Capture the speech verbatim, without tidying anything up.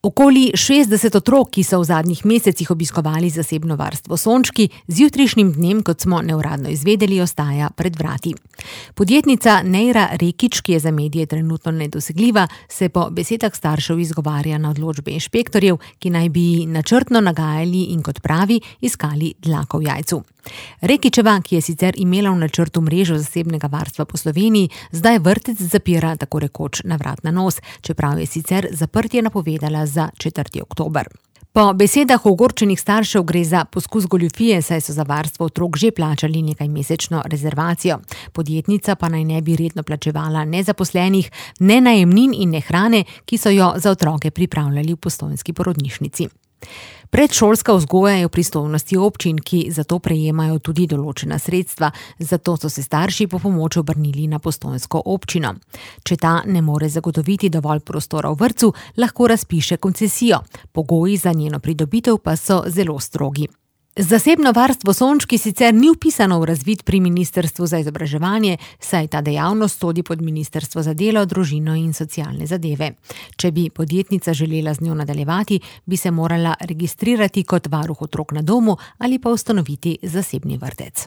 Okoli šestdeset otrok, ki so v zadnjih mesecih obiskovali zasebno varstvo Sončki, z jutrišnjim dnem, kot smo neuradno izvedeli, ostaja pred vrati. Podjetnica Neira Rekić, ki je za medije trenutno nedosegljiva, se po besedah staršev izgovarja na odločbe inšpektorjev, ki naj bi načrtno nagajali in, kot pravi, iskali dlako v jajcu. Rekićeva, ki je sicer imela v načrtu mrežo zasebnega varstva po Sloveniji, zdaj vrtec zapira tako rekoč na vrat na nos, čeprav je sicer zaprtje napovedala za četrti oktober. Po besedah ogorčenih staršev gre za poskus goljufije, saj so za varstvo otrok že plačali nekaj mesečno rezervacijo. Podjetnica pa naj ne bi redno plačevala ne zaposlenih, ne najemnin in ne hrane, ki so jo za otroke pripravljali v postojnski porodnišnici. Predšolska vzgoja je v pristojnosti občin, ki zato prejemajo tudi določena sredstva, zato so se starši po pomoč obrnili na postojnsko občino. Če ta ne more zagotoviti dovolj prostora v vrtcu, lahko razpiše koncesijo. Pogoji za njeno pridobitev pa so zelo strogi. Zasebno varstvo Sončki sicer ni vpisano v razvid pri Ministrstvu za izobraževanje, saj ta dejavnost sodi pod Ministrstvo za delo, družino in socialne zadeve. Če bi podjetnica želela z njo nadaljevati, bi se morala registrirati kot varuh otrok na domu ali pa ustanoviti zasebni vrtec.